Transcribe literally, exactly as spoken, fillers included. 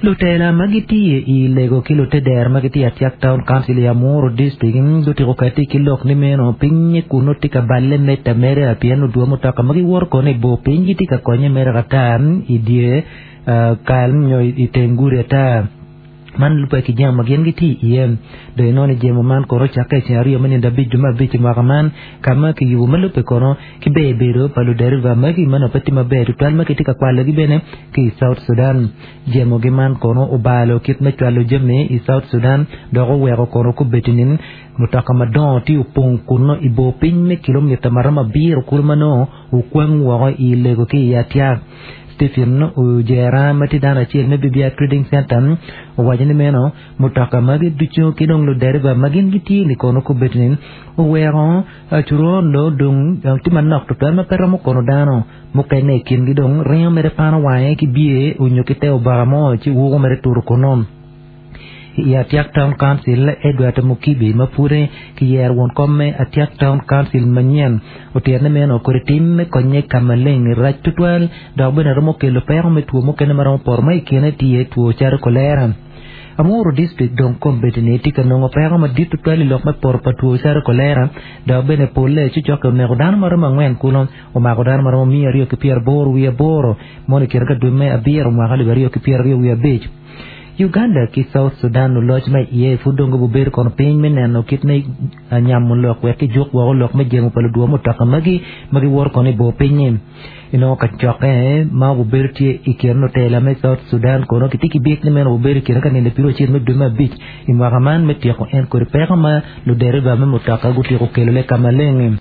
Lutela ma gitye i lego ki luteder ma gitye Atiak Town Council i Amuru District gutiko kati ki lok ni meno pinye kuno tye ka balle medde ameda pien odwo mutoka ma giwoto kono i bor piny gitye ka konye mere ata i dye kal nyo i teng gudi ata man lubbe ki jami ma gin gitye iye dong inongo ni jemo man kono ocakke i ceng aryo me nindo abic dwe me abic i mwaka man ka ma kiyubo ma lubbe kono ki ber bedo pa luderiba magi ma nongo pe tye maber tutwal ma kitye ka kwalogi bene ki i South Sudan jemogi man kono obalo kit me cwalo jami i South Sudan dok oweko kono kubedi ni mutoka madongo tye opong kuno i bor piny me kilomita maromo abiro kulu ma nongo okwang woko i lego ki i Atiak Stephen Ojera ma tye dano acel me B B I Trading Center owaco ni meno mutoka magi ducu ki dong luderiba ma gin gitye ni kono kubedi ni oweko coron do dong tye manok tutwal ma pe romo kono dano mukene i kingi dong ringo mere pano wange ki bye onyo ki te obaka mo ci wuko mere turo kono. I Atiak Town Council Edward Mukibi ma pud kiyero won kom me Atiak Town Council manyien otyene meno kodi tim me konye ka maleng rac tutwal dok bene romo kelo peko me two mukene ma romo poto ma i kine tye two calo kolera. Amuru District dong kombeddi ni tye ka nongo peko madit tutwal i lok me poto pa two calo kolera dok bene polle cucokke oneko dano maromo angwen kuno omako dano maromo miya aryo ki pyeraboro wiye aboro mono i kine ka dwe me abiro mwaka alip aryo ki pyeraryo wiye abic. Uganda ki South Sudan oloc ma iye pud dong gubedo kono piny me neno kit me nyamo lok wek kijuk woko lok me jemo pa ludwo mutoka magi ma giwoto kono i bor piny-nyi. Inongo kacokke ma obedo tye i kin lutela me South Sudan kono kitye ki byek ni meno obedo i kine ka nindo piero acel me dwe me abic i mwaka man me tyeko en kodi peko ma luderiba me mutoka gutyeko kelole ka maleng.